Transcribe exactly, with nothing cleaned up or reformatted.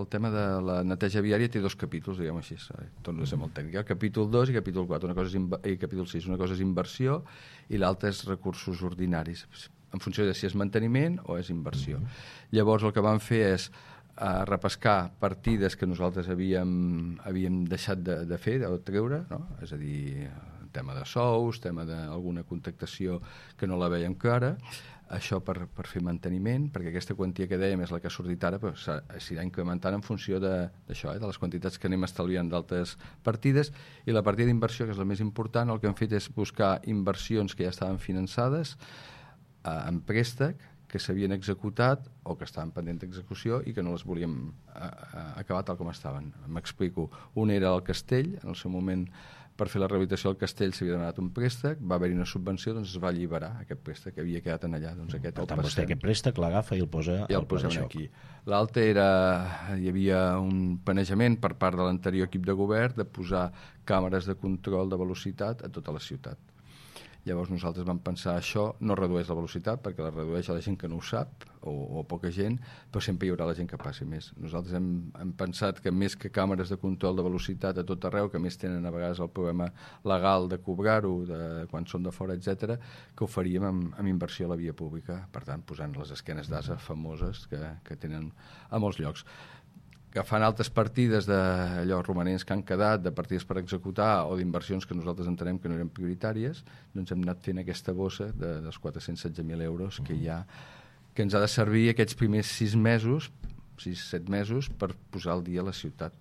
el tema de la neteja viària té dos capítols, diguem així, torno a ser molt tècnic. Capítol dos i capítol quatre, una cosa és inv- i capítol sis. Una cosa és inversió i l'altra és recursos ordinaris, en funció de si és manteniment o és inversió. Mm-hmm. Llavors el que vam fer és uh, repescar partides que nosaltres havíem, havíem deixat de, de fer, de treure, no? És a dir, tema de sous, tema d'alguna contractació que no la veiem clara, això per, per fer manteniment, perquè aquesta quantia que dèiem és la que ha sortit ara, però s'irà incrementant en funció d'això, eh, de les quantitats que anem estalviant d'altres partides, i la partida d'inversió, que és la més important, el que hem fet és buscar inversions que ja estaven finançades eh, en préstec, que s'havien executat o que estaven pendents d'execució i que no les volíem eh, acabar tal com estaven. M'explico. Un era el castell, en el seu moment per fer la rehabilitació del castell s'havia demanat un préstec, va haver-hi una subvenció, doncs es va alliberar aquest préstec que havia quedat en allà. Doncs aquest per tant, vostè aquest préstec l'agafa i el posa i el posem aquí. L'altre era, hi havia un planejament per part de l'anterior equip de govern de posar càmeres de control de velocitat a tota la ciutat. Llavors nosaltres vam pensar això no redueix la velocitat perquè la redueix a la gent que no ho sap o, o poca gent, però sempre hi haurà la gent que passi més. Nosaltres hem, hem pensat que més que càmeres de control de velocitat a tot arreu, que més tenen a vegades el problema legal de cobrar-ho, de quan són de fora, etcètera, que ho faríem amb, amb inversió a la via pública, per tant posant les esquenes d'asa famoses que, que tenen a molts llocs. Agafant altres partides d'allò romanents que han quedat, de partides per executar o d'inversions que nosaltres entenem que no eren prioritàries, doncs hem anat fent aquesta bossa de, dels quatre-cents setze mil euros que hi ha, que ens ha de servir aquests primers sis mesos, sis, set mesos, per posar al dia la ciutat.